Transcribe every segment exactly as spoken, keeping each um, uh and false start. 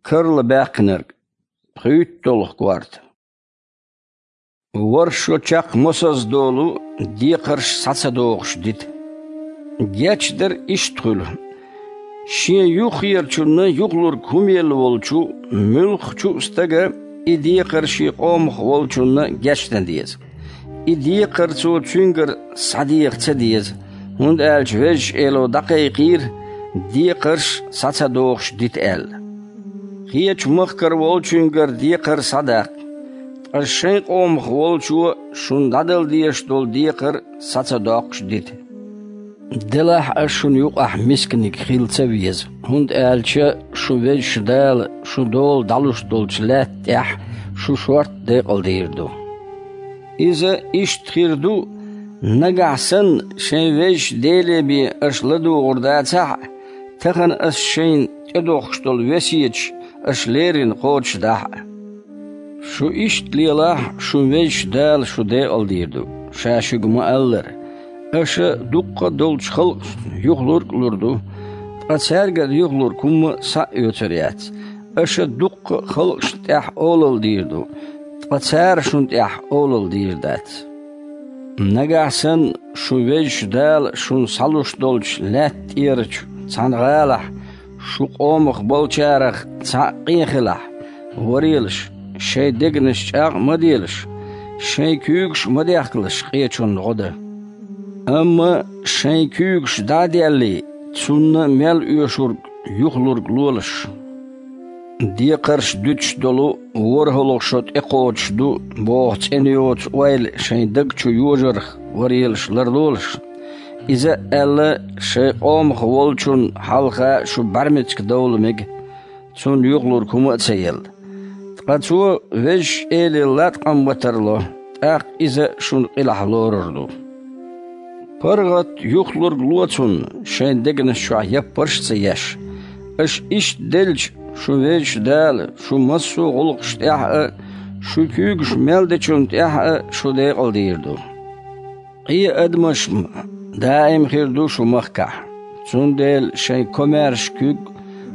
Карла баьккхинарг. ПхуьйтталгӀа корта. ВорхӀ шо чаккха мосазза долу декхарш схьа ца дохуш дита. Гечдар иштта хуьлу: шен юххерачунна юхалург хӀума елла волчу муьлххачу а стага и декхар шен къомах волчунна гечдан деза. И декхар цо цуьнгара схьадеха ца деза, хӀунда аьлча Везачу Эло дӀакхайкхийра, декхарш схьа ца дохуш дита аьлла. Кхечу махкара волчуьнгара декхар схьадаккха, ткъа шайн къомах волчо шуна дӀадала дезаш долу декхар схьа ца доккхуш дита. Делахь ас шуна юкъахь мисканиг хила ца веза, хӀунда аьлча шун Везачу Дала шун дола дӀалуш долчу лаьтта тӀехь шу шорта декъалдийр ду. Иза иштта хир ду, нагахь санна шайн Везачу Деле бен аша ладугӀур дацахь а, тахана ас шайна тӀедохкуш долу весеташ аша леррина кхочушдахь а. Шу иштта лелахь, шун Везачу Дала шу декъалдийр ду, Ша шуьга ма-аллара: аша дуккха а долчу халкъашна юхалург а лур ду, ткъа цаьргара юхалург хӀумма схьа а оьцур яц. Аша дуккха а халкъашна тӀехь олалла дийр ду, ткъа цара шуна тӀехь олалла дийр дац. Нагахь санна шун Везачу Дала шуна схьалуш долчу лаьтта тӀерачу цхьана гӀалахь, шун къомах болчарах цхьаъ къен хилахь, варелаш, шайн дегнаш чӀагӀ а ма делаш, шайн куьйгаш а ма дехкалаш къечунна гӀо дан. Амма шайн куьйгаш дӀа а деллий, цунна мел оьшург юхалург лолаш. Декхарш дуьтуш долу ворхӀалгӀа шо тӀекхочуш ду боху цӀена йоцу ойла шайн даг чу йожарх варелаш ларлолаш. Иза а аьлла, шайн къомах волчунна хьалха шу бӀаьрмециг довла мега, цунна юхалург хӀума а ца елла. Ткъа цо Везачу Эле латкъам ма тарло, тӀаккха иза шуна къилахь лорур ду. ПаргӀат юхалург ло цунна, шайн дегнаш чохь яппарш а ца еш. Аша иштта делча, шун Везачу Дала шун массо а гӀуллакхаш тӀехь а, шун куьйгаш мел дечунна тӀехь а шу декъалдийр ду. Къен адамаш даим хир ду шун махкахь, цундела шайн комаьрша куьг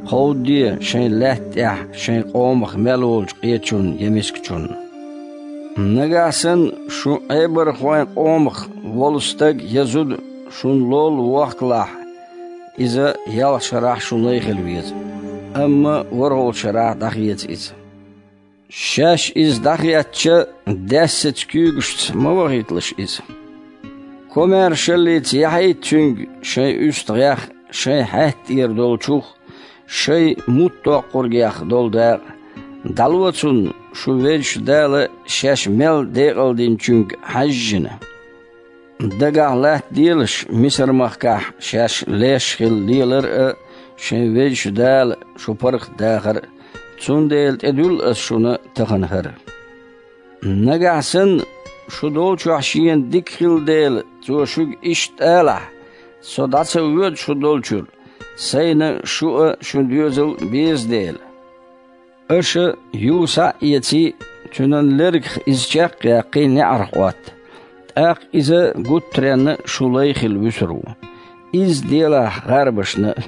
кховдаде шайн лаьтта тӀехь шайн къомах мел волчу къечунна я мискачунна. Нагахь санна шун Ӏебархойн къомах волу стаг я зуда шуна лолла вохкалахь, иза ялх шарахь шун лай хила веза, амма ворхӀалгӀачу шарахь дӀахеца иза. Шаьш иза дӀахецча, даьссаца куьйгашца ма вахийталаш иза. Комаьршаллица яхьийта цуьнга шайн уьстагӀех, шайн хьаьтта тӀера долчух, шайн муттдоккхургех долу дакъа. ДӀало цунна, шун Везачу Дала шаьш мел декъалдинчуьнга хьаьжжина. Дагахь латтаделаш Мисар-махкахь шаьш леш хила лелар а, шайн Везачу Дала шу паргӀатдахар а, цундела тӀедуьллу аса шуна тахана хӀара. Нагахь санна, шу долчохь шена дика хилла дела, цо шуьга иштта алахь: «Со дӀа ца воьду шу долчуьра, сайна шу а, шун доьзал а беза дела». Аша юха схьа а эций, цуьнан лергах иза чекх а яьккхий, неӀарх Ӏотта. ТӀаккха иза гуттаренна шун лай хила вуьсур ву. Изза делахь гӀарбашна а.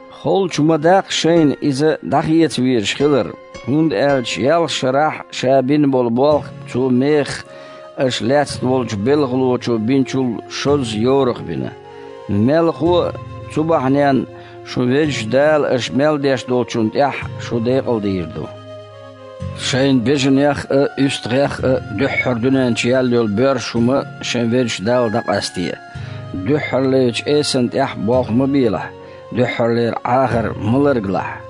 Холчу ма даккха шайна иза дӀахеца везаш хилар, хӀунда аьлча ялх шарахь ша бина болу болх цо мехах аша лаьцна волчу белхалочо бинчул шозза йорах бина. Мелхо а, цу бахьаненна шун Везачу Дала аша мел деш долчунна тӀехь шу декъалдийр ду. Шайн бежанех а, уьстагӀех а дуьххьара дуьнен чу яьлла йолу боьрша хӀума шайн Везачу Далла дӀакъасте. Дуьххьарлерчу эсан тӀехь болх ма белахь, дуьххьарлера Ӏахар ма ларгалахь.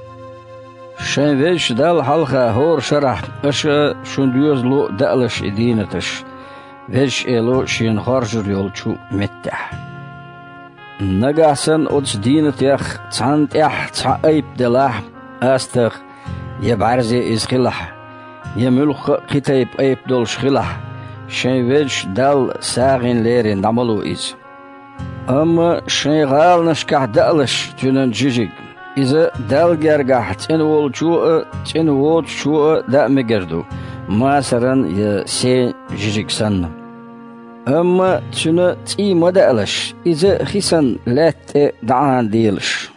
Шайн Везачу Далла хьалха хӀора шарахь аша шун доьзало а даалаш и дийнаташ, Везачу Эло Шена хоржур йолчу меттехь. Нагахь санна оцу дийнатех цхьанна тӀехь цхьа айпа делахь, астагӀа, я бӀаьрзе иза хилахь, я муьлхха а кхин тайпа айпа долуш хилахь, шайн Везачу Далла сагӀина лерина дӀа ма ло иза. Амма шайн гӀаланашкахь даалаш цуьнан жижиг, иза Далла гергахь цӀена волчо а, цӀена воцучо а даа мегар ду, масаран я сен жижиг санна. Амма цуьнан цӀий ма даалаш, иза хи санна лаьтта тӀе дӀаӀанаделаш.